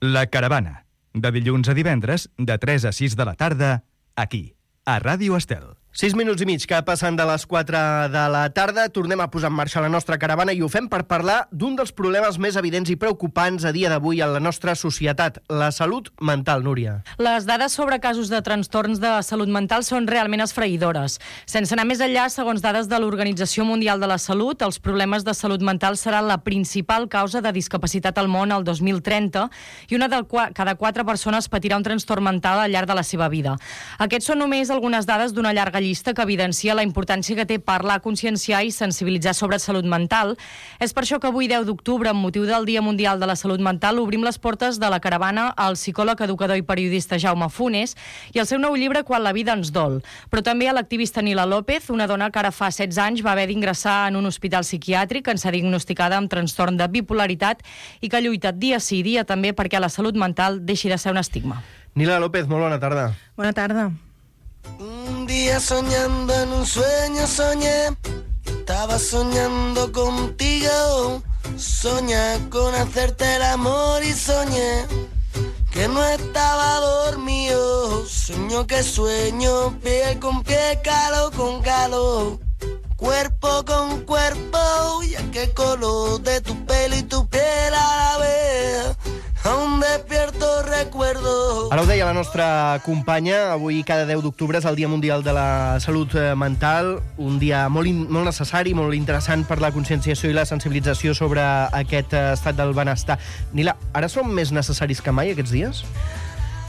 La Caravana, de dilluns a divendres, de 3 a 6 de la tarda, aquí, a Ràdio Estel. 6 minuts i mig que passen de les 4 de la tarda. Tornem a posar en marxa la nostra caravana i ho fem per parlar d'un dels problemes més evidents i preocupants a dia d'avui en la nostra societat, la salut mental, Núria. Les dades sobre casos de trastorns de salut mental són realment esfereïdores. Sense anar més enllà, segons dades de l'Organització Mundial de la Salut, els problemes de salut mental seran la principal causa de discapacitat al món al 2030 i una de cada 4 persones patirà un trastorn mental al llarg de la seva vida. Aquests són només algunes dades d'una llarga llista que evidencia la importància que té parlar, conscienciar i sensibilitzar sobre salut mental. És per això que avui, 10 d'octubre, amb motiu del Dia Mundial de la Salut Mental, obrim les portes de la caravana al psicòleg, educador i periodista Jaume Funes i el seu nou llibre Quan la vida ens dol. Però també a l'activista Nila López, una dona que ara fa 16 anys va haver d'ingressar en un hospital psiquiàtric en ser diagnosticada amb trastorn de bipolaritat i que lluita dia sí dia també perquè la salut mental deixi de ser un estigma. Nila López, molt bona tarda. Bona tarda. Un día soñando en un sueño soñé, estaba soñando contigo, soñé con hacerte el amor y soñé que no estaba dormido, sueño que sueño, piel con pie, calor con calor, cuerpo con cuerpo, y aquel color de tu pelo y tu piel a la vez. Aún despierto recuerdo. Ara ho deia la nostra companya, avui cada 10 d'octubre és el Dia Mundial de la Salut Mental, un dia molt necessari, molt interessant per la conscienciació i la sensibilització sobre aquest estat del benestar. Nila, ara són més necessaris que mai aquests dies?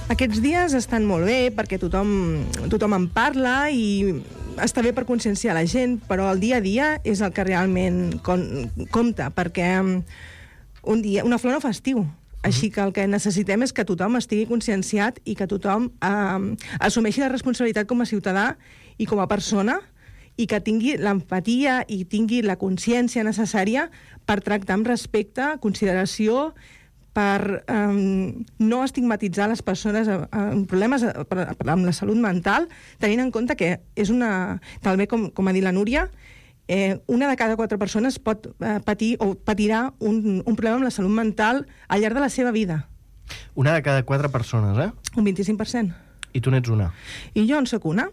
Aquests dies estan molt bé perquè tothom en parla i està bé per conscienciar la gent, però el dia a dia és el que realment compta, perquè una flor no fa estiu. Així que el que necessitem és que tothom estigui conscienciat i que tothom assumeixi la responsabilitat com a ciutadà i com a persona i que tingui l'empatia i tingui la consciència necessària per tractar amb respecte, consideració, per no estigmatitzar les persones amb problemes amb la salut mental, tenint en compte que és també com ha dit la Núria, una de cada 4 persones pot patir o patirà un problema amb la salut mental al llarg de la seva vida. Una de cada 4 persones, eh? Un 25%. I tu n'ets una. I jo en soc una.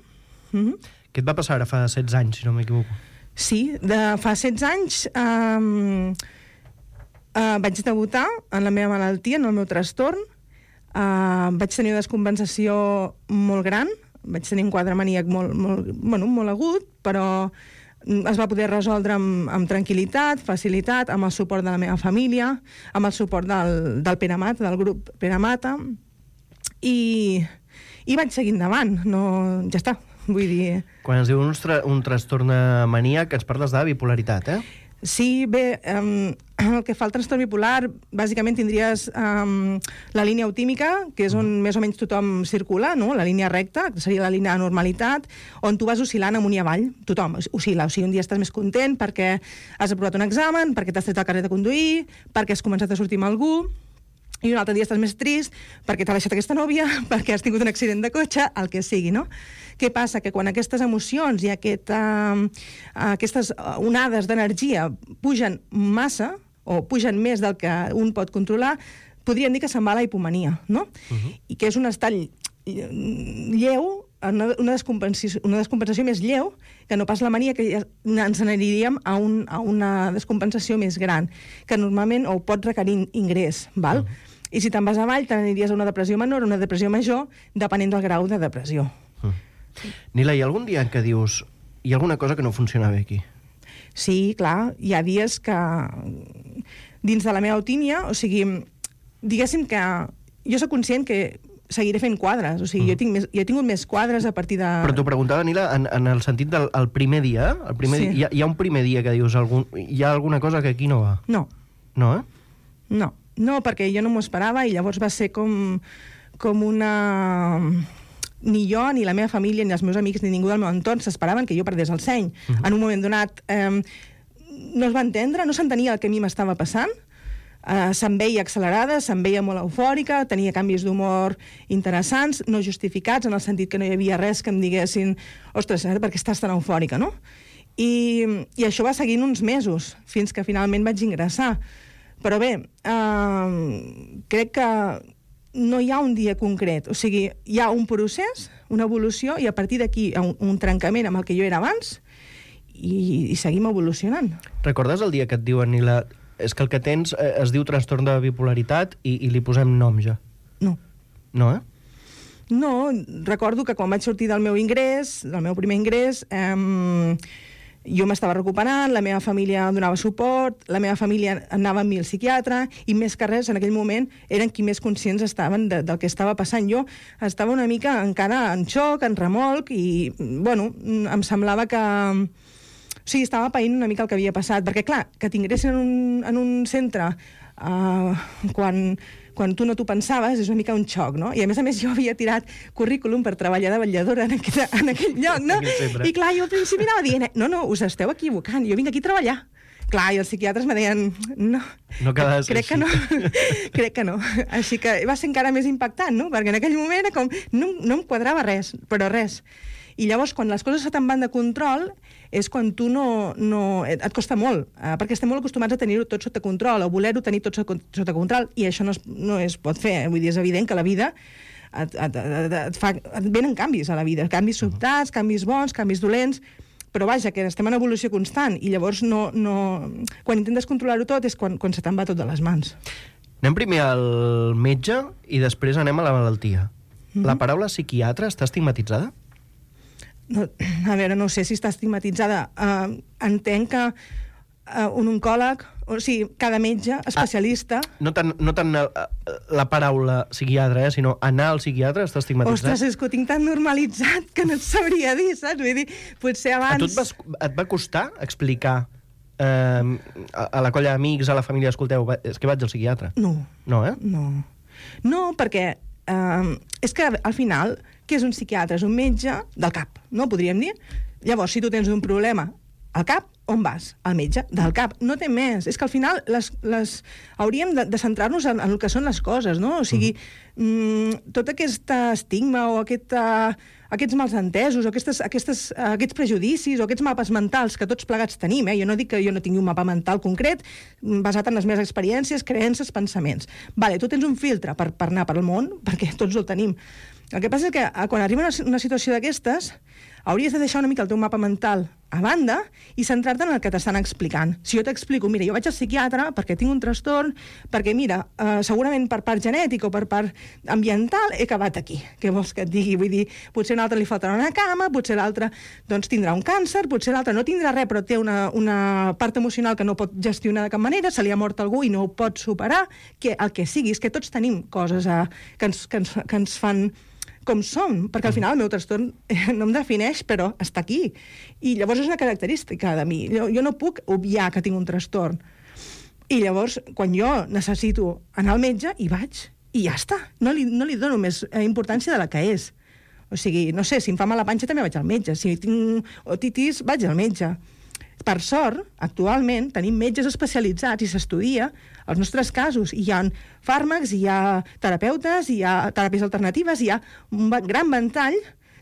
Què et va passar ara fa 16 anys, si no m'equivoco? Sí, fa 16 anys vaig debutar en la meva malaltia, en el meu trastorn. Vaig tenir una descompensació molt gran, vaig tenir un quadre maníac molt agut, però es va poder resoldre amb tranquil·litat, facilitat, amb el suport de la meva família, amb el suport del Pere Mata, del grup Pere Mata, i vaig seguir endavant, ja està, vull dir... Quan es diu un trastorn maníac, ens parles de bipolaritat, eh? Sí, bé, el que fa el trastorn bipolar, bàsicament tindries la línia eutímica, que és on més o menys tothom circula, no? La línia recta, que seria la línia de normalitat, on tu vas oscil·lant amunt i avall. Tothom oscil·la, o sigui, un dia estàs més content perquè has aprovat un examen, perquè t'has tret el carnet de conduir, perquè has començat a sortir amb algú, i un altre dia estàs més trist perquè t'ha deixat aquesta nòvia, perquè has tingut un accident de cotxe, el que sigui, no? Què passa? Que quan aquestes emocions i aquestes onades d'energia pugen massa, o pugen més del que un pot controlar, podríem dir que se'n va a la hipomania, no? I que és un estat lleu, una descompensació més lleu, que no pas la mania, que ja ens n'aniríem a una descompensació més gran, que normalment pot requerir ingrés, val? I si te'n vas avall, te n'aniries a una depressió menor o una depressió major, depenent del grau de depressió. Nila, hi ha algun dia en què dius hi ha alguna cosa que no funciona bé aquí? Sí, clar, hi ha dies que dins de la meva autímia, o sigui, diguéssim que jo soc conscient que seguiré fent quadres, o sigui, jo he tingut més quadres a partir de... Però t'ho preguntava, Nila, en el sentit del primer dia, Sí. Hi ha un primer dia que dius hi ha alguna cosa que aquí no va? No. No, eh? No, perquè jo no m'ho esperava i llavors va ser com una... Ni jo, ni la meva família, ni els meus amics, ni ningú del meu entorn s'esperaven que jo perdés el seny. En un moment donat no es va entendre, no s'entenia el que a mi m'estava passant, se'm veia accelerada, se'm veia molt eufòrica, tenia canvis d'humor interessants, no justificats, en el sentit que no hi havia res que em diguessin ostres, per què estàs tan eufòrica, no? I això va seguint uns mesos, fins que finalment vaig ingressar. Però bé, crec que no hi ha un dia concret. O sigui, hi ha un procés, una evolució, i a partir d'aquí un trencament amb el que jo era abans, i seguim evolucionant. Recordes el dia que et diuen, Nila, és que el que tens es diu trastorn de bipolaritat i li posem nom ja? No. No, No, recordo que quan vaig sortir del meu ingrés, del meu primer ingrés, jo m'estava recuperant, la meva família donava suport, la meva família anava amb mi al psiquiatre, i més que res, en aquell moment, eren qui més conscients estaven del que estava passant. Jo estava una mica encara en xoc, en remolc, i, bueno, em semblava que... O sigui, estava païnt una mica el que havia passat, perquè, clar, que t'ingressin en un centre quan tu no t'ho pensaves, és una mica un xoc, no? I a més jo havia tirat currículum per treballar de vetlladora en aquell lloc, no? I clar, jo al principi anava dient, no, us esteu equivocant, jo vinc aquí a treballar. Clar, i els psiquiatres me deien, no crec que no, crec que no. Així que va ser encara més impactant, no? Perquè en aquell moment era com, no em quadrava res, però res. I llavors, quan les coses se te'n van de control, és quan tu et costa molt, perquè estem molt acostumats a tenir-ho tot sota control, o voler-ho tenir tot sota control, i això no es pot fer. Vull dir, és evident que la vida et venen canvis a la vida, canvis sobtats, canvis bons, canvis dolents, però vaja, que estem en evolució constant, i llavors quan intentes controlar-ho tot és quan se te'n va tot de les mans. Anem primer al metge i després anem a la malaltia. La paraula psiquiatre està estigmatitzada? No, a veure, no sé si està estigmatitzada. Entenc que un oncòleg, o sigui, cada metge especialista... No tant la paraula psiquiatre, sinó anar al psiquiatre està estigmatitzat. Ostres, és que ho tinc tan normalitzat que no et sabria dir, saps? Vull dir, potser abans... A tu et va costar explicar a la colla d'amics, a la família, escolteu, és que vaig al psiquiatre? No. No, No, perquè és que al final... Què és un psiquiatre? És un metge del cap, no? Podríem dir. Llavors, si tu tens un problema al cap, on vas? Al metge del cap. No té més. És que al final hauríem de centrar-nos en el que són les coses, no? O sigui, tot aquest estigma o aquests malentesos o aquests prejudicis o aquests mapes mentals que tots plegats tenim, jo no dic que jo no tingui un mapa mental concret basat en les meves experiències, creences, pensaments. Vale, tu tens un filtre per anar pel món, perquè tots el tenim. El que passa és que quan arriba una situació d'aquestes, hauries de deixar una mica el teu mapa mental a banda i centrar-te en el que t'estan explicant. Si jo t'explico, mira, jo vaig al psiquiatre perquè tinc un trastorn, perquè, mira, segurament per part genètica o per part ambiental he acabat aquí. Què vols que et digui? Vull dir, potser a un altre li faltarà una cama, potser l'altre doncs, tindrà un càncer, potser l'altre no tindrà res, però té una part emocional que no pot gestionar de cap manera, se li ha mort algú i no ho pot superar, que el que sigui, és que tots tenim coses que ens fan com som, perquè al final el meu trastorn no em defineix, però està aquí. I llavors és una característica de mi. Jo no puc obviar que tinc un trastorn. I llavors, quan jo necessito anar al metge, hi vaig. I ja està. No li dono més importància de la que és. O sigui, no sé, si em fa mal la panxa també vaig al metge. Si tinc otitis, vaig al metge. Per sort, actualment, tenim metges especialitzats i s'estudia els nostres casos. Hi ha fàrmacs, hi ha terapeutes, hi ha teràpies alternatives, hi ha un gran ventall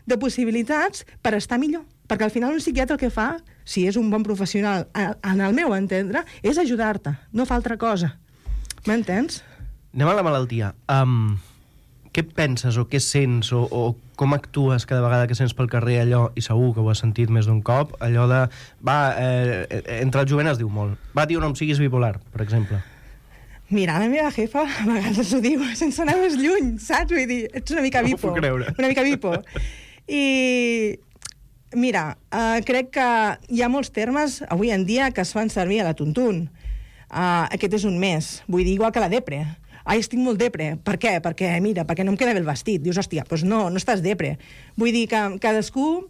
de possibilitats per estar millor. Perquè al final un psiquiatre el que fa, si és un bon professional, en el meu entendre, és ajudar-te, no fa altra cosa. M'entens? Anem a la malaltia. Què penses o què sents o com actues cada vegada que sents pel carrer allò, i segur que ho has sentit més d'un cop, allò de, entre el jovent es diu molt, tio, no em siguis bipolar, per exemple. Mira, la meva jefa a vegades ho diu sense anar més lluny, saps? Vull dir, ets una mica bipo. No ho puc creure. Una mica bipo. I mira, crec que hi ha molts termes avui en dia que es fan servir a la tuntun. Aquest és un més. Vull dir, igual que la depre. Ai, estic molt depre. Per què? Perquè, mira, perquè no em queda bé el vestit. Dius, hòstia, doncs no estàs depre. Vull dir que cadascú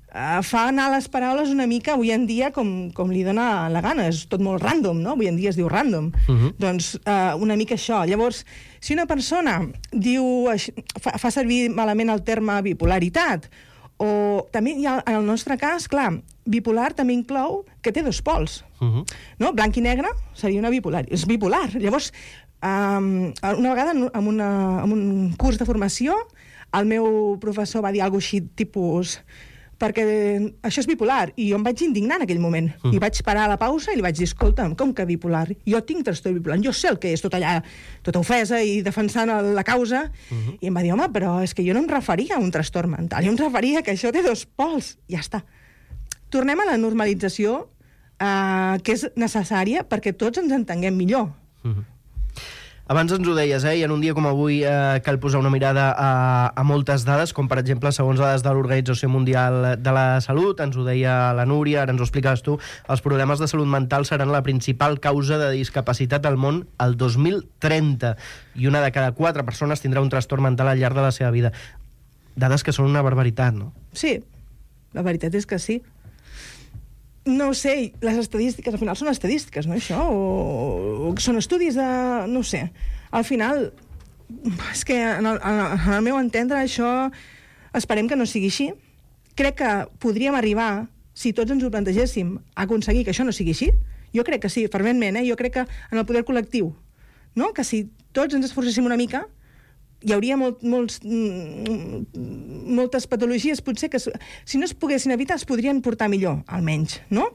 fa anar les paraules una mica avui en dia com li dona la gana. És tot molt random, no? Avui en dia es diu random. Doncs una mica això. Llavors, si una persona diu, fa servir malament el terme bipolaritat, o també hi ha, en el nostre cas, clar, bipolar també inclou que té dos pols. No? Blanc i negre seria una bipolar. És bipolar. Llavors, una vegada en un curs de formació el meu professor va dir alguna cosa així tipus perquè això és bipolar, i jo em vaig indignar en aquell moment, i vaig parar a la pausa i li vaig dir, escolta'm, com que bipolar? Jo tinc trastorn bipolar, jo sé el que és tot allà, tota ofesa i defensant la causa, i em va dir, home, però és que jo no em referia a un trastorn mental, jo em referia que això té dos pols, ja està. Tornem a la normalització, que és necessària perquè tots ens entenguem millor. Abans ens ho deies, i en un dia com avui cal posar una mirada a moltes dades, com per exemple, segons dades de l'Organització Mundial de la Salut, ens ho deia la Núria, ara ens ho explicaves tu, els problemes de salut mental seran la principal causa de discapacitat al món el 2030, i una de cada 4 persones tindrà un trastorn mental al llarg de la seva vida. Dades que són una barbaritat, no? Sí, la veritat és que sí. No ho sé, les estadístiques, al final són estadístiques, no, això? O són estudis de... no ho sé. Al final, és que en el meu entendre això esperem que no sigui així. Crec que podríem arribar, si tots ens ho plantegéssim, a aconseguir que això no sigui així. Jo crec que sí, ferventment, jo crec que en el poder col·lectiu, no? Que si tots ens esforcéssim una mica, hi hauria moltes patologies, potser que si no es poguessin evitar es podrien portar millor, almenys, no?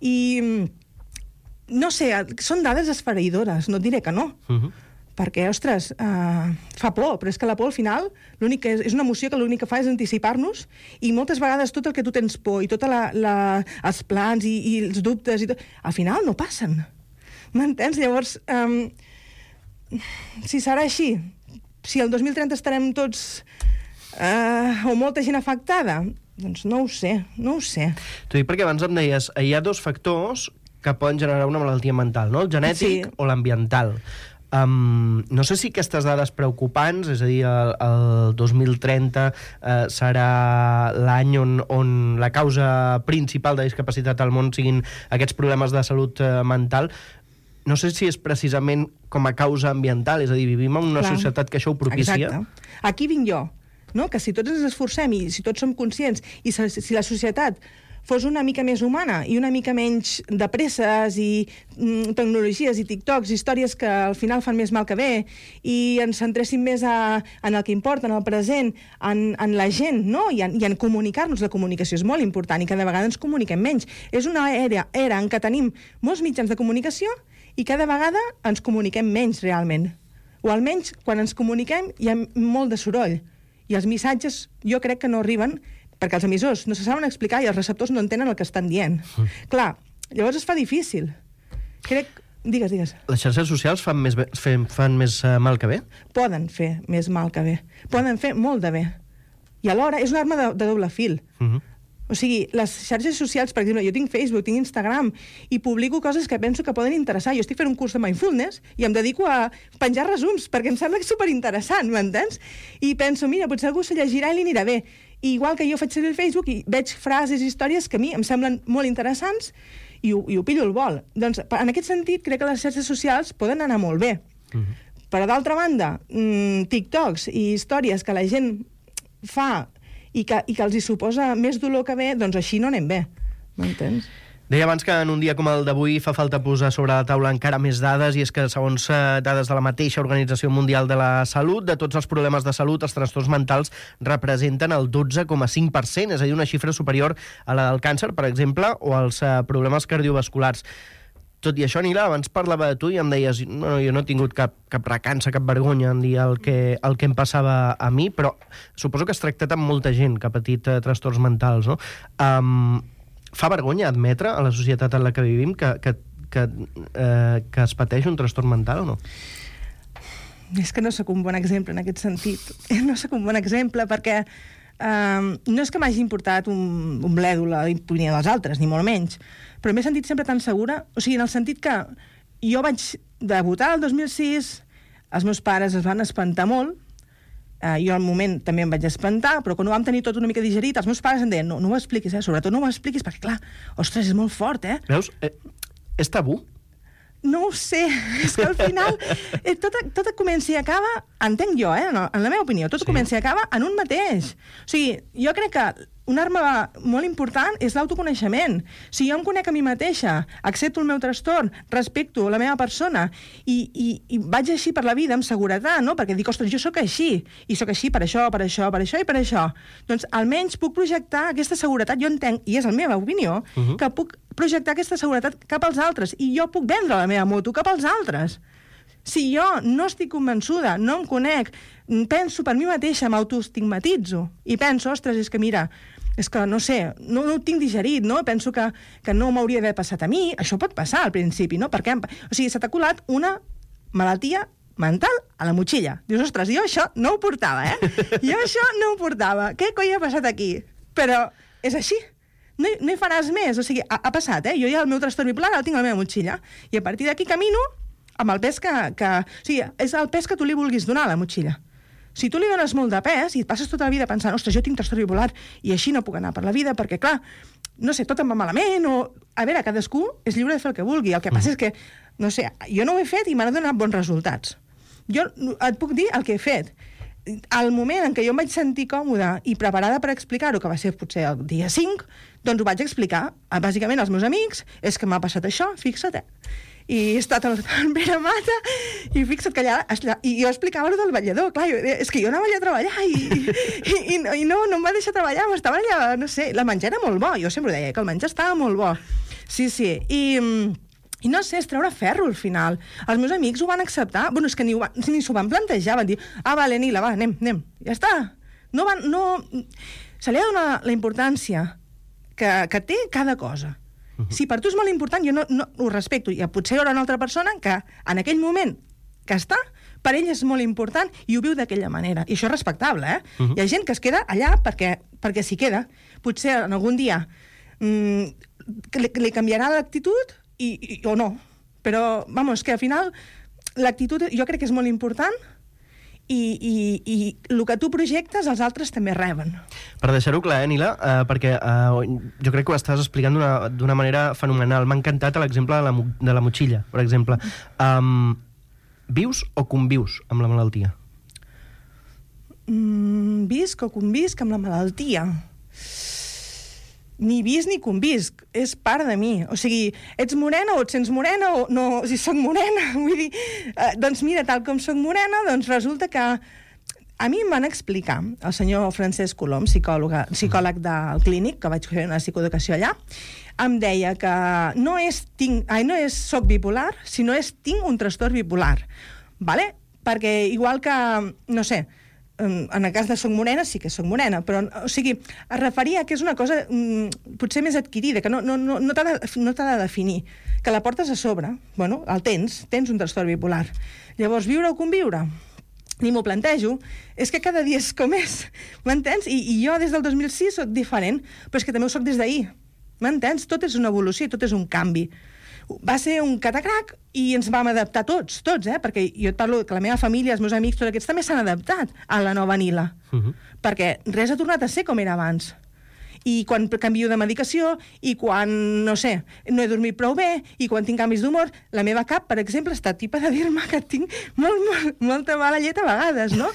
I, no sé, són dades esfereïdores, no et diré que no. Perquè, ostres, fa por, però és que la por al final és una emoció que l'únic que fa és anticipar-nos, i moltes vegades tot el que tu tens por i tots els plans i els dubtes i tot, al final no passen. M'entens? Llavors, si serà així, si el 2030 estarem tots o molta gent afectada, doncs no ho sé. T'ho dic perquè abans em deies, hi ha 2 factors que poden generar una malaltia mental, no? El genètic o l'ambiental. No sé si aquestes dades preocupants, és a dir, el 2030 serà l'any on la causa principal de discapacitat al món siguin aquests problemes de salut mental. No sé si és precisament com a causa ambiental, és a dir, vivim en una societat que això ho propicia. Exacte. Aquí vinc jo, no? Que si tots ens esforcem i si tots som conscients i si la societat fos una mica més humana i una mica menys de presses i tecnologies i TikToks, històries que al final fan més mal que bé, i ens centréssim més en el que importa, en el present, en la gent, no? I en comunicar-nos. La comunicació és molt important i cada vegada ens comuniquem menys. És una era en què tenim molts mitjans de comunicació i cada vegada ens comuniquem menys realment. O almenys, quan ens comuniquem, hi ha molt de soroll. I els missatges, jo crec que no arriben perquè els emissors no se saben explicar i els receptors no entenen el que estan dient. Clar, llavors es fa difícil. Crec... Digues. Les xarxes socials fan més mal que bé? Poden fer més mal que bé. Poden fer molt de bé. I alhora és una arma de doble fil. O sigui, les xarxes socials, per exemple, jo tinc Facebook, tinc Instagram, i publico coses que penso que poden interessar. Jo estic fent un curs de mindfulness i em dedico a penjar resums, perquè em sembla que és superinteressant, m'entens? I penso, mira, potser algú se llegirà i li anirà bé. I igual que jo faig servir el Facebook i veig frases i històries que a mi em semblen molt interessants i ho pillo al vol. Doncs, en aquest sentit, crec que les xarxes socials poden anar molt bé. Però, d'altra banda, TikToks i històries que la gent fa i que els hi suposa més dolor que bé, doncs així no anem bé. M'entens? Deia abans que en un dia com el d'avui fa falta posar sobre la taula encara més dades, i és que, segons dades de la mateixa Organització Mundial de la Salut, de tots els problemes de salut, els trastorns mentals representen el 12,5%, és a dir, una xifra superior a la del càncer, per exemple, o als problemes cardiovasculars. Tot i això, Nila, abans parlava de tu i em deies no, jo no he tingut cap recança, cap vergonya en dir el que em passava a mi, però suposo que has tractat amb molta gent que ha patit trastorns mentals, no? Fa vergonya admetre a la societat en la que vivim que es pateix un trastorn mental o no? És que no sóc un bon exemple en aquest sentit. No sóc un bon exemple perquè no és que m'hagi importat un bledo la opinió dels altres, ni molt menys, però m'he sentit sempre tan segura, o sigui, en el sentit que jo vaig debutar el 2006, els meus pares es van espantar molt, jo al moment també em vaig espantar, però quan ho vam tenir tot una mica digerit, els meus pares em deien, no ho expliquis, sobretot no ho expliquis, perquè clar, ostres, és molt fort, Veus? És tabú? No ho sé, és que al final tot comença i acaba, entenc jo, en la meva opinió, tot comença i acaba en un mateix. O sigui, jo crec que una arma molt important és l'autoconeixement. Si jo em conec a mi mateixa, accepto el meu trastorn, respecto la meva persona i vaig així per la vida amb seguretat, no? Perquè dic, ostres, jo sóc així, i sóc així per això, per això, per això i per això. Doncs almenys puc projectar aquesta seguretat, jo entenc, i és la meva opinió, que puc projectar aquesta seguretat cap als altres, i jo puc vendre la meva moto cap als altres. Si jo no estic convençuda, no em conec, penso per mi mateixa, m'autoestigmatitzo, i penso, ostres, és que mira, és que, no sé, no ho tinc digerit, no? Penso que no m'hauria d'haver passat a mi. Això pot passar al principi, no? Perquè, o sigui, se t'ha colat una malaltia mental a la motxilla. Dius, ostres, jo això no ho portava, Jo això no ho portava. Què coi ha passat aquí? Però és així. No hi faràs més. O sigui, ha passat, Jo ja el meu trastorn bipolar el tinc a la meva motxilla. I a partir d'aquí camino amb el pes que... O sigui, és el pes que tu li vulguis donar a la motxilla. Si tu li dones molt de pes i et passes tota la vida pensant, ostres, jo tinc trastorn bipolar i així no puc anar per la vida perquè, clar, no sé, tot em va malament o... A veure, cadascú és lliure de fer el que vulgui. El que passa és que, no sé, jo no ho he fet i m'han donat bons resultats. Jo et puc dir el que he fet. Al moment en què jo em vaig sentir còmoda i preparada per explicar-ho, que va ser potser el dia 5, doncs ho vaig explicar, bàsicament, als meus amics, és que m'ha passat això, fixa't, I he estat al Pere Mata i fixa't que allà... I jo explicava allò del ballador, clar, és que jo anava allà a treballar i no em va deixar treballar, m'estava allà, no sé, la menjar era molt bo, jo sempre deia que el menjar estava molt bo. Sí, i no sé, és treure ferro al final. Els meus amics ho van acceptar, bueno, és que ni s'ho van plantejar, van dir, vale, Nila, va, anem, ja està. Se li ha de donar la importància que té cada cosa. Si per tu és molt important, jo no ho respecto. I potser hi haurà una altra persona que en aquell moment que està, per ell és molt important i ho viu d'aquella manera. I això és respectable, Hi ha gent que es queda allà perquè s'hi queda. Potser en algun dia li canviarà l'actitud o no. Però, vamos, que al final l'actitud jo crec que és molt important i el que tu projectes els altres també reben. Per deixar-ho clar, Nila, perquè jo crec que ho estàs explicant d'una manera fenomenal. M'ha encantat l'exemple de la motxilla, per exemple. Vius o convius amb la malaltia? Visc o convisc amb la malaltia? Ni visc ni convisc, és part de mi. O sigui, ets morena o et sents morena o no, si soc morena, vull dir, doncs mira, tal com soc morena, doncs resulta que a mi em van explicar, el senyor Francesc Colom, psicòleg del Clínic, que vaig fer una psicoeducació allà, em deia que no és soc bipolar, sinó és tinc un trastorn bipolar, vale? Perquè igual que, no sé, en el cas de soc morena, sí que soc morena, però, o sigui, es referia que és una cosa potser més adquirida, que no t'ha de definir, que la portes a sobre, bueno, el tens un trastorn bipolar. Llavors, viure o conviure? Ni m'ho plantejo, és que cada dia és com és, m'entens? I jo des del 2006 soc diferent, però és que també ho soc des d'ahir, m'entens? Tot és una evolució, tot és un canvi. Va ser un catacrac i ens vam adaptar tots, perquè jo et parlo que la meva família, els meus amics, tots aquests també s'han adaptat a la nova Nila, perquè res ha tornat a ser com era abans. I quan canvio de medicació, i quan, no sé, no he dormit prou bé, i quan tinc canvis d'humor, la meva cap, per exemple, està tipa de dir-me que tinc molta mala llet a vegades, no?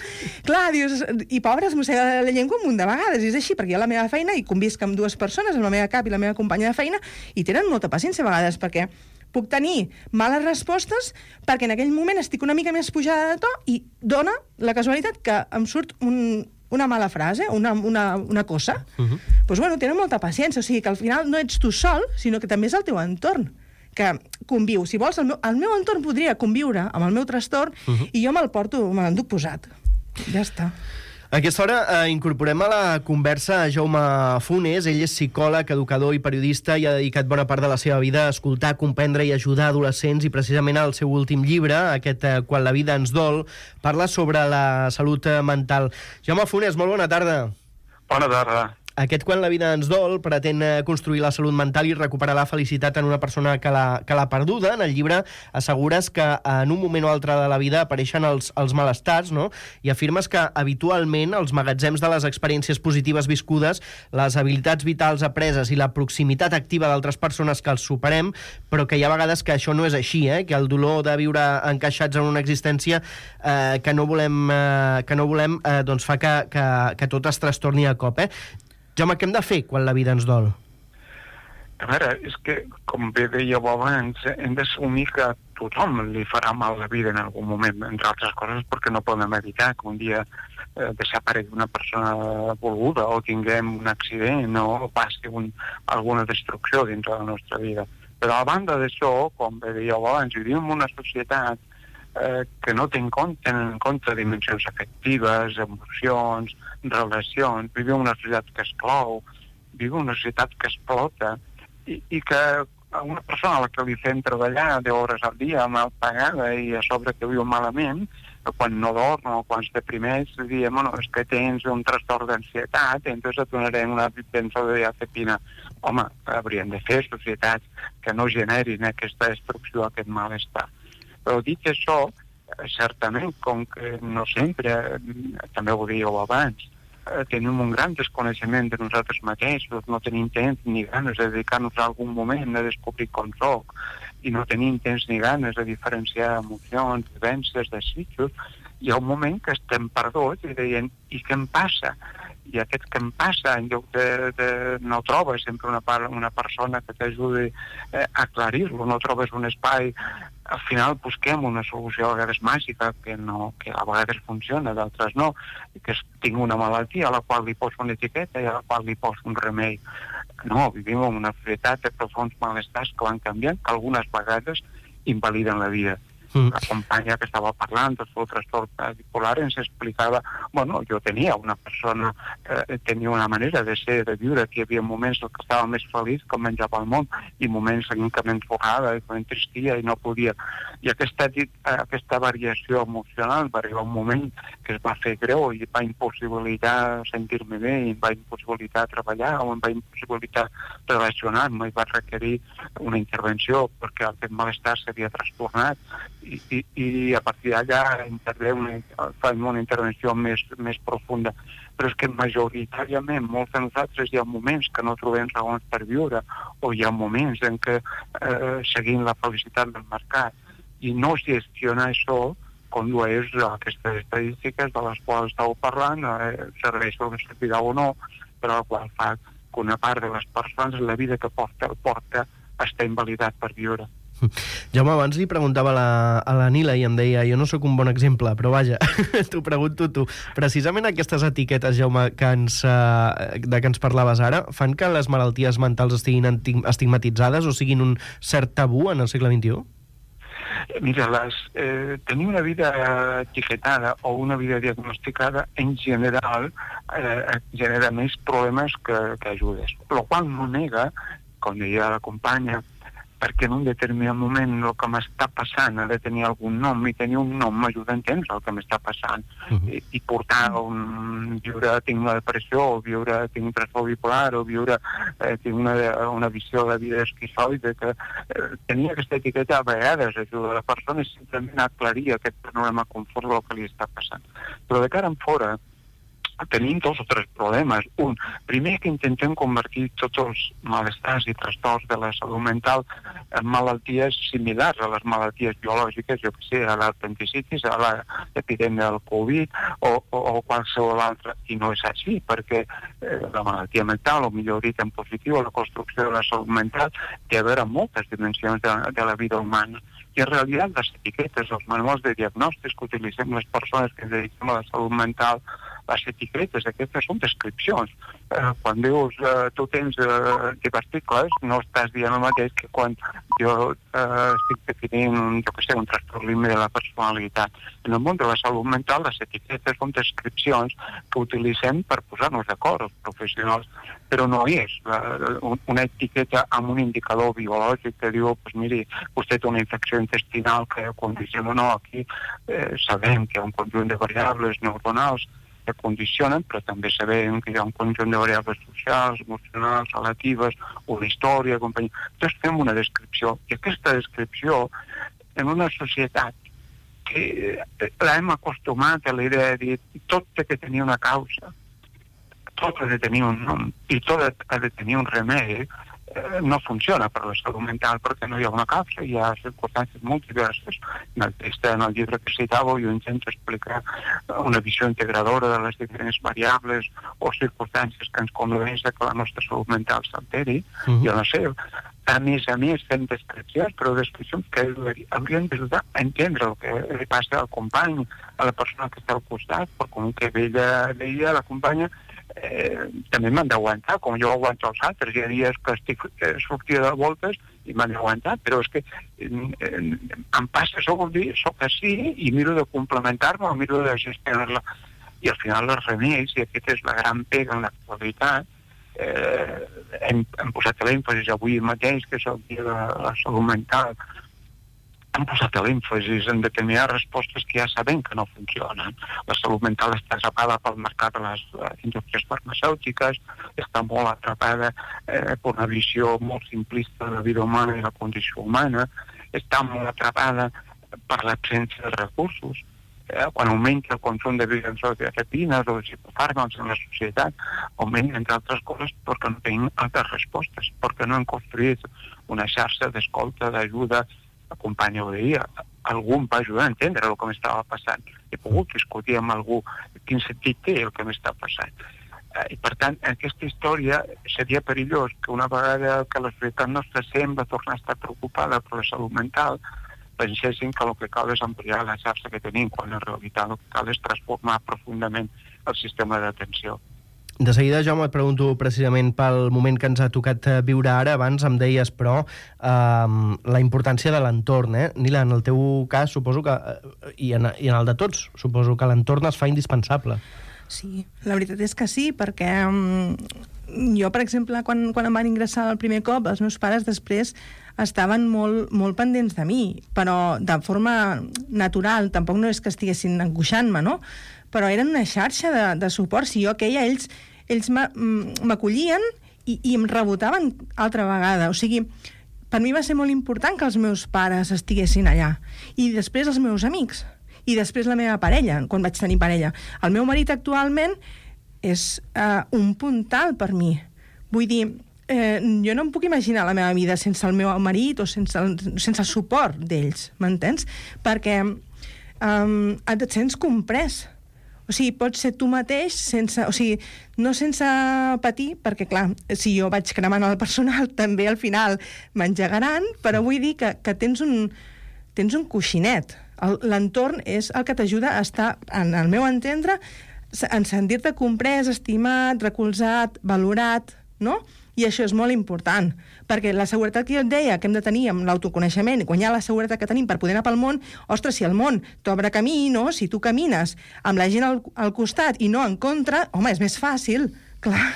Clar, dius, i pobra, es mossega la llengua un munt de vegades, i és així, perquè jo a la meva feina hi convisc amb dues persones, amb la meva cap i la meva companya de feina, i tenen molta paciència a vegades, perquè puc tenir males respostes perquè en aquell moment estic una mica més pujada de to i dona la casualitat que em surt una mala frase, una cosa, doncs, bueno, tenen molta paciència. O sigui, que al final no ets tu sol, sinó que també és el teu entorn que conviu. Si vols, el meu entorn podria conviure amb el meu trastorn i jo me l'enduc posat. Ja està. A aquesta hora incorporem a la conversa a Jaume Funes. Ell és psicòleg, educador i periodista i ha dedicat bona part de la seva vida a escoltar, comprendre i ajudar adolescents, i precisament el seu últim llibre, aquest Quan la vida ens dol, parla sobre la salut mental. Jaume Funes, molt bona tarda. Bona tarda. Aquest Quan la vida ens dol pretén construir la salut mental i recuperar la felicitat en una persona que l'ha perduda. En el llibre assegures que en un moment o altre de la vida apareixen els malestars, no? I afirmes que habitualment els magatzems de les experiències positives viscudes, les habilitats vitals apreses i la proximitat activa d'altres persones que els superem, però que hi ha vegades que això no és així, que el dolor de viure encaixats en una existència que no volem doncs fa que tot es trastorni a cop. Jaume, què hem de fer quan la vida ens dol? A veure, és que, com bé dèieu abans, hem d'assumir que a tothom li farà mal la vida en algun moment, entre altres coses perquè no podem evitar que un dia desaparegui una persona volguda o tinguem un accident o passi alguna destrucció dintre de la nostra vida. Però a banda d'això, com bé dèieu abans, vivim en una societat que no té en compte dimensions afectives, emocions, relacions. Vivim en una societat que exclou, vivim en una societat que explota i que a una persona a la que li fem treballar 10 hores al dia mal pagada i a sobre que viu malament, quan no dorm o quan es deprimeix, diem, bueno, és que tens un trastorn d'ansietat, entonces et donarem una benzodiazepina. Home, hauríem de fer societats que no generin aquesta destrucció, aquest malestar. Però dit això, certament, com que no sempre, també ho dèieu abans, tenim un gran desconeixement de nosaltres mateixos, no tenim temps ni ganes de dedicar-nos a algun moment a descobrir com soc, i no tenim temps ni ganes de diferenciar emocions, vivències, desitjos, hi ha un moment que estem perduts i deien, i què em passa? I aquest que em passa, en lloc de no trobes sempre una persona que t'ajudi a aclarir-lo, no trobes un espai, al final busquem una solució a vegades màgica, que a vegades funciona, d'altres no, que tinc una malaltia a la qual li poso una etiqueta i a la qual li poso un remei. No, vivim en una societat de profunds malestars que van canviant, que algunes vegades invaliden la vida. La companya que estava parlant del seu trastorn bipolar ens explicava, bueno, jo tenia una persona, tenia una manera de ser, de viure, que hi havia moments en què estava més feliç que menjava al món, i moments en què m'enfocava, que m'entristia i no podia. I aquesta variació emocional va arribar un moment que es va fer greu i va impossibilitar sentir-me bé, i em va impossibilitar treballar, o em va impossibilitar relacionar-me, i va requerir una intervenció perquè aquest malestar s'havia trastornat. I a partir d'allà fem una intervenció més profunda. Però és que majoritàriament molts de nosaltres hi ha moments que no trobem raons per viure, o hi ha moments en què seguim la felicitat del mercat, i no gestionar això condueix a aquestes estadístiques de les quals estàu parlant, serveix per una servirà o no, però el qual fa que una part de les persones la vida que porta està invalidat per viure. Jaume, abans li preguntava a la Nila i em deia, jo no sóc un bon exemple, però vaja, t'ho pregunto tu. Precisament aquestes etiquetes, Jaume, de què ens parlaves ara, fan que les malalties mentals estiguin estigmatitzades o siguin un cert tabú en el segle XXI? Mira, tenir una vida etiquetada o una vida diagnosticada en general genera més problemes que ajudes. El qual no nega, com deia la companya, perquè en un determinat moment el que m'està passant ha de tenir algun nom, i tenir un nom m'ajuda a entendre el que m'està passant. I portar viure, tinc una depressió, o viure, tinc un trastorn bipolar, o viure, tinc una visió de vida esquizoide, que tenir aquesta etiqueta a vegades ajuda a la persona simplement a aclarir aquest problema conforme el que li està passant. Però de cara en fora, tenim 2 o 3 problemes. Un, primer, que intentem convertir tots els malestars i trastorns de la salut mental en malalties similars a les malalties biològiques, jo que sé, a l'apendicitis, a l'epidèmia del Covid o qualsevol altra. I no és així, perquè la malaltia mental, o millor dit en positiu, la construcció de la salut mental, té a veure amb moltes dimensions de la vida humana. I en realitat les etiquetes, els manuals de diagnòstics que utilitzem les persones que ens dediquem a la salut mental, les etiquetes aquestes són descripcions. Quan dius tu tens diverticles, no estàs dient el mateix que quan jo estic definint un trastorn límit de la personalitat. En el món de la salut mental, les etiquetes són descripcions que utilitzem per posar-nos d'acord els professionals, però no és una etiqueta amb un indicador biològic que diu, pues miri, vostè té una infecció intestinal que quan diem no, aquí sabem que hi ha un conjunt de variables neuronals que condicionen, però també sabem que hi ha un conjunt de variables socials, emocionals, relatives, una història, companyia. Llavors fem una descripció, i aquesta descripció, en una societat que l'hem acostumat a la idea de dir tot ha de tenir una causa, tot ha de tenir un nom i tot ha de tenir un remei, no funciona per la salut mental perquè no hi ha una causa, hi ha circumstàncies molt diverses. En el text, en el llibre que citàveu, jo intento explicar una visió integradora de les diferents variables o circumstàncies que ens condueixen que la nostra salut mental s'alteri. Jo no sé, a més fem descripcions, però descripcions que haurien d'ajudar a entendre el que li passa al company, a la persona que està al costat, perquè com que ella deia, la companya, també m'han d'aguantar, com jo aguanto els altres. Hi ha dies que estic sortida de voltes i m'han d'aguantar, però és que em passa, això vol dir, soc així i miro de complementar-me o miro de gestionar-la. I al final els remeis, i aquesta és la gran pega en l'actualitat, hem posat l'èmfasi avui mateix, que és el dia de la salut mental, han posat l'èmfasi en determinades respostes que ja sabem que no funcionen. La salut mental està atrapada pel mercat de les indústries farmacèutiques, està molt atrapada per una visió molt simplista de la vida humana i la condició humana, està molt atrapada per l'absència de recursos. Quan augmenta el consum de benzodiazepines o de psicofàrmacs en la societat, augmenta, entre altres coses, perquè no tenim altres respostes, perquè no hem construït una xarxa d'escolta, d'ajuda, acompanya ho deia, algú em va ajudar a entendre el que m'estava passant. He pogut discutir amb algú quin sentit té el que m'està passant. I per tant, en aquesta història seria perillós que una vegada que la societat nostra sembla tornar a estar preocupada per la salut mental, pensessin que el que cal és ampliar la xarxa que tenim, quan en realitat el que cal és transformar profundament el sistema d'atenció. De seguida, Jaume, et pregunto precisament pel moment que ens ha tocat viure ara. Abans em deies, però, la importància de l'entorn. Nila, en el teu cas, suposo que, i en el de tots, suposo que l'entorn es fa indispensable. Sí, la veritat és que sí, perquè jo, per exemple, quan em van ingressar el primer cop, els meus pares després estaven molt pendents de mi, però de forma natural, tampoc no és que estiguessin angoixant-me, no? Però eren una xarxa de suport. Si jo queia, ells m'acollien i em rebotaven altra vegada. O sigui, per mi va ser molt important que els meus pares estiguessin allà. I després els meus amics. I després la meva parella, quan vaig tenir parella. El meu marit actualment és un puntal per mi. Vull dir, jo no em puc imaginar la meva vida sense el meu marit o sense el suport d'ells, m'entens? Perquè et sents comprès. O sigui, pots ser tu mateix no sense patir, perquè, clar, si jo vaig cremant el personal, també al final m'engegaran, però vull dir que tens un coixinet. L'entorn és el que t'ajuda a estar, en el meu entendre, en sentir-te comprès, estimat, recolzat, valorat, no? I això és molt important, perquè la seguretat que jo et deia que hem de tenir amb l'autoconeixement i guanyar la seguretat que tenim per poder anar pel món, ostres, si el món t'obre camí, no? Si tu camines amb la gent al costat i no en contra, home, és més fàcil, clar.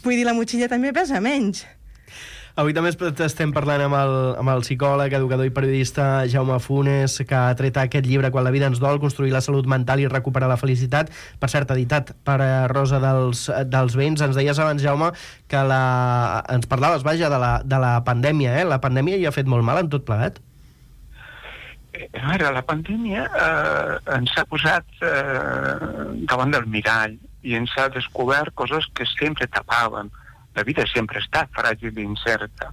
Vull dir, la motxilla també pesa menys. Avui també estem parlant amb el psicòleg, educador i periodista Jaume Funes, que ha tret aquest llibre Quan la vida ens dol, construir la salut mental i recuperar la felicitat, per cert, editat per Rosa dels Vents. Ens deies abans, Jaume, que ens parlaves, vaja, de la pandèmia, La pandèmia hi ha fet molt mal en tot plegat? A veure, la pandèmia ens ha posat davant del mirall i ens ha descobert coses que sempre tapàvem. La vida sempre ha estat fràgil i incerta.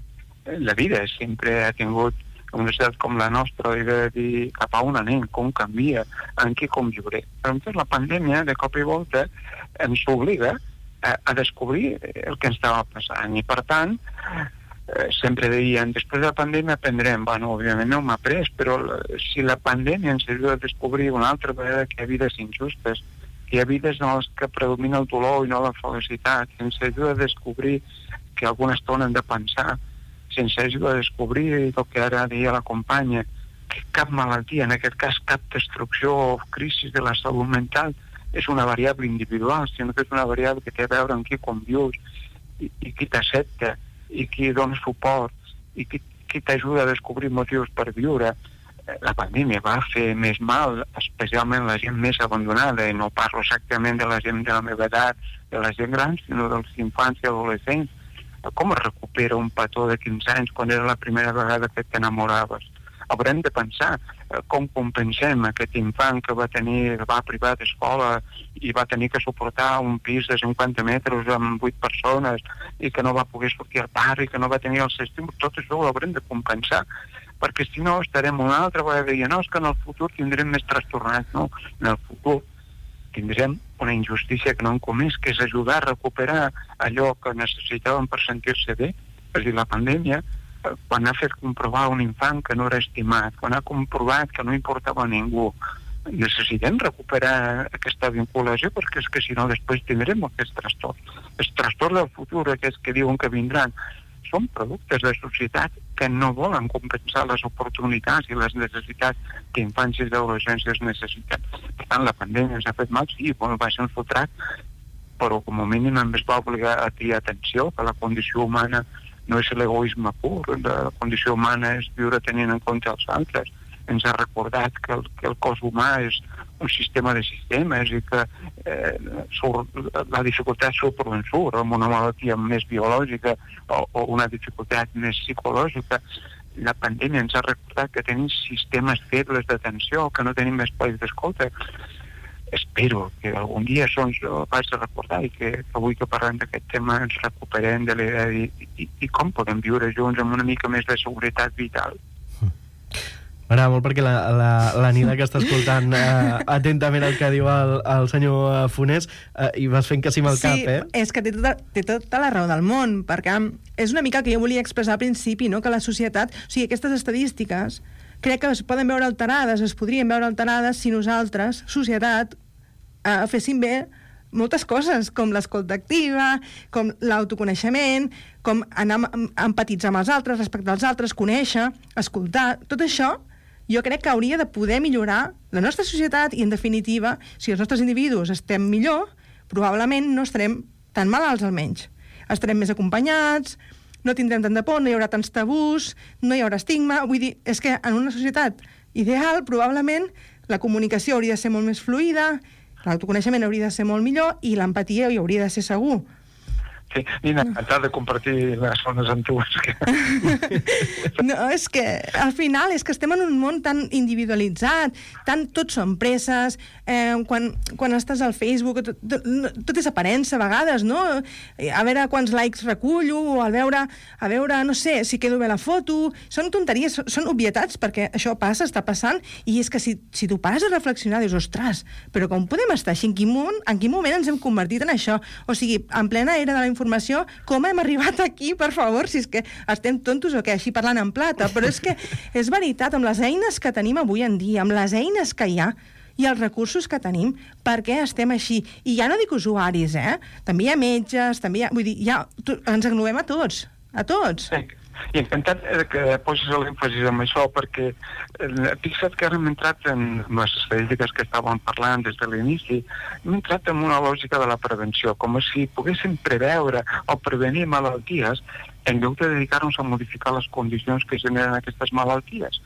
La vida sempre ha tingut una societat com la nostra de dir cap a on anem, com canvia, en què conviuré. Però la pandèmia, de cop i volta, ens obliga a descobrir el que ens estava passant. I, per tant, sempre deien, després de la pandèmia aprendrem. Bueno, òbviament no m'ha après, però si la pandèmia ens ajuda a descobrir una altra vegada que hi ha vides injustes, hi ha vides en les que predomina el dolor i no la felicitat, ens ajuda a descobrir que alguna estona hem de pensar, ens ajuda a descobrir el que ara deia la companya, que cap malaltia, en aquest cas cap destrucció o crisi de la salut mental, és una variable individual, sinó que és una variable que té a veure amb qui convius i qui t'accepta i qui dona suport i qui t'ajuda a descobrir motius per viure. la pandèmia va fer més mal, especialment la gent més abandonada, i no parlo exactament de la gent de la meva edat, de la gent gran, sinó dels infants i adolescents. Com es recupera un petó de 15 anys quan era la primera vegada que t'enamoraves? Haurem de pensar com compensem aquest infant que va privar d'escola i va tenir que suportar un pis de 50 metres amb 8 persones i que no va poder sortir al parc i que no va tenir els estímuls. Tot això ho haurem de compensar, perquè si no estarem una altra vegada dient no, és que en el futur tindrem més trastornats. No, en el futur tindrem una injustícia que no hem comès, que és ajudar a recuperar allò que necessitàvem per sentir-se bé. És a dir, la pandèmia, quan ha fet comprovar un infant que no era estimat, quan ha comprovat que no importava a ningú, necessitem recuperar aquesta vinculació, perquè és que si no després tindrem aquest trastorn. Els trastorns del futur, aquests que diuen que vindran, són productes de societat que no volen compensar les oportunitats i les necessitats que infants i adolescents necessiten. Per tant, la pandèmia ens ha fet mal, sí, va ser un sotrac, però com a mínim ens va obligar a triar atenció, que la condició humana no és l'egoisme pur, la condició humana és viure tenint en compte els altres. Ens ha recordat que el cos humà és un sistema de sistemes i que la dificultat surt per on surt, amb una malaltia més biològica o una dificultat més psicològica. La pandèmia ens ha recordat que tenim sistemes febles d'atenció, que no tenim espais d'escolta. Espero que algun dia això ens ho vaig a recordar i que avui que parlem d'aquest tema ens recuperem de l'idea i com podem viure junts amb una mica més de seguretat vital. M'agrada molt perquè la Nina, que està escoltant atentament el que diu el senyor Funes, i vas fent que sí amb el cap, eh? Sí, és que té tota la raó del món, perquè és una mica el que jo volia expressar al principi, no? Que la societat, o sigui, aquestes estadístiques crec que es poden veure alterades, es podrien veure alterades si nosaltres, societat, féssim bé moltes coses, com l'escolta activa, com l'autoconeixement, com anar empatitzar amb els altres, respectar els altres, conèixer, escoltar, tot això jo crec que hauria de poder millorar la nostra societat i, en definitiva, si els nostres individus estem millor, probablement no estarem tan malalts almenys. Estarem més acompanyats, no tindrem tant de por, no hi haurà tants tabús, no hi haurà estigma. Vull dir, és que en una societat ideal, probablement, la comunicació hauria de ser molt més fluida, l'autoconeixement hauria de ser molt millor i l'empatia hi hauria de ser segur. Sí, Nina, encantat de compartir les zones amb tu. No, és que al final és que estem en un món tan individualitzat, tot són presses, quan estàs al Facebook tot és aparença a vegades, no? A veure quants likes recullo, o a veure, no sé, si quedo bé la foto. Són tonteries, són obvietats, perquè això passa, està passant, i és que si tu pares a reflexionar, dius, ostres, però com podem estar així? En quin moment ens hem convertit en això? O sigui, en plena era de la informació, com hem arribat aquí, per favor, si és que estem tontos o què, així parlant en plata, però és que és veritat, amb les eines que tenim avui en dia, amb les eines que hi ha i els recursos que tenim, per què estem així? I ja no dic usuaris, també hi ha metges, també hi ha... Vull dir, ens englobem a tots, Sí. I encantat que posis l'èmfasi en això, perquè fixa't que ara hem entrat en les estadístiques que estàvem parlant des de l'inici, hem entrat en una lògica de la prevenció, com si poguéssim preveure o prevenir malalties en lloc de dedicar-nos a modificar les condicions que generen aquestes malalties.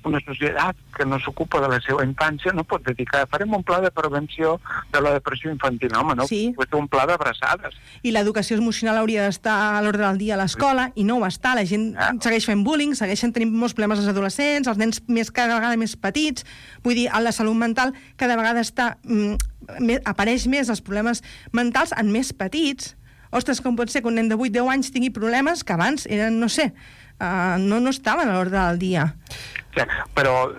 Una societat que no s'ocupa de la seva infància no pot dedicar. Farem un pla de prevenció de la depressió infantil. Home, no? Sí. Pot fer un pla d'abraçades. I l'educació emocional hauria d'estar a l'ordre del dia a l'escola, i no ho està. La gent segueix fent bullying, segueixen tenint molts problemes als adolescents, els nens cada vegada més petits. Vull dir, la salut mental cada vegada apareix més els problemes mentals en més petits. Ostres, com pot ser que un nen de 8-10 anys tingui problemes que abans eren, no sé, no estaven a l'ordre del dia. Ja, però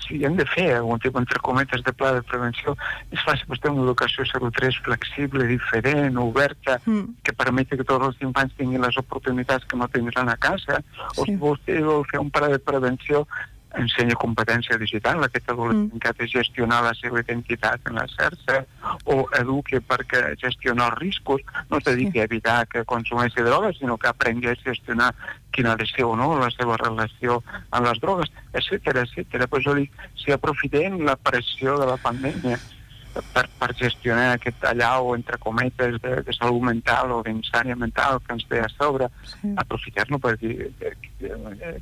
si hem de fer algun tipus, entre cometes, de pla de prevenció, és fàcil vostè una educació 0-3 flexible, diferent, oberta, que permeti que tots els infants tinguin les oportunitats que no tindran a casa, o si vostè vol fer un pla de prevenció, ensenya competència digital, aquest adolescent que ha de gestionar la seva identitat en la xarxa, o eduqui perquè gestionar els riscos, no es dediqui a evitar que consumeixi drogues, sinó que aprengui a gestionar quina ha de ser o no la seva relació amb les drogues, etcètera. Per això dic, si aprofitem la pressió de la pandèmia per gestionar aquest allau, entre cometes, de salut mental o d'insània mental que ens ve a sobre, aprofitar-lo per dir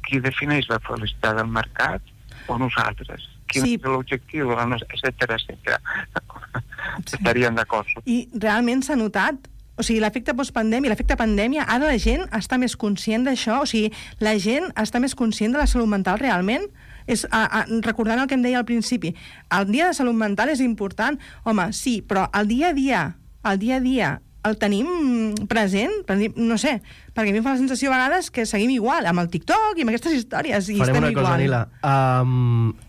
qui defineix la felicitat del mercat, o nosaltres? Quin és l'objectiu, etcètera, etcètera. Estaríem d'acord. I realment s'ha notat? O sigui, l'efecte postpandèmia, l'efecte pandèmia, ara la gent està més conscient d'això? O sigui, la gent està més conscient de la salut mental realment? Recordant el que em deia al principi, el dia de salut mental és important, home, sí, però el dia a dia el tenim present? No sé, perquè a mi em fa la sensació a vegades que seguim igual, amb el TikTok i amb aquestes històries, i farem estem una cosa, igual. Nila.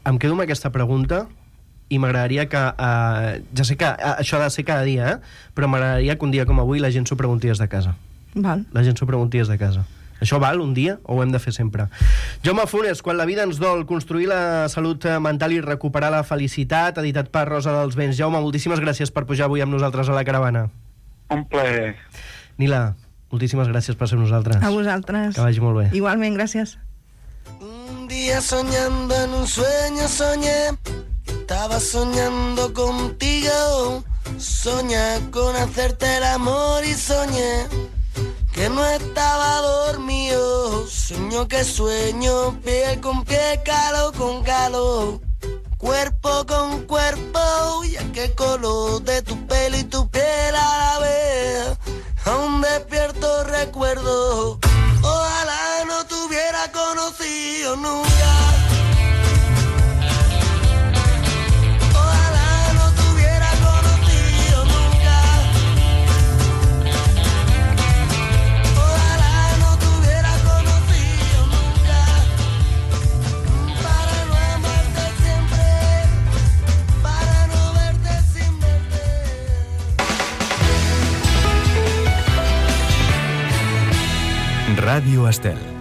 Em quedo amb aquesta pregunta i m'agradaria que... ja sé que això ha de ser cada dia, però m'agradaria que un dia com avui la gent s'ho pregunti des de casa. Val. La gent s'ho pregunti des de casa. Això val un dia o ho hem de fer sempre? Jaume Funes, Quan la vida ens dol, construir la salut mental i recuperar la felicitat, editat per Rosa dels Vents. Jaume, moltíssimes gràcies per pujar avui amb nosaltres a la caravana. Un plaer. Nila, moltíssimes gràcies per ser amb nosaltres. A vosaltres. Que vagi molt bé. Igualment, gràcies. Un día soñando en un sueño soñé, estaba soñando contigo, soñé con hacerte el amor y soñé que no estaba dormido, sueño que sueño, pie con pie, calor con calor, cuerpo con cuerpo, y aquel color de tu pelo y tu piel a la vez, aún despierto recuerdo, ojalá no te hubiera conocido nunca. Ràdio Estel.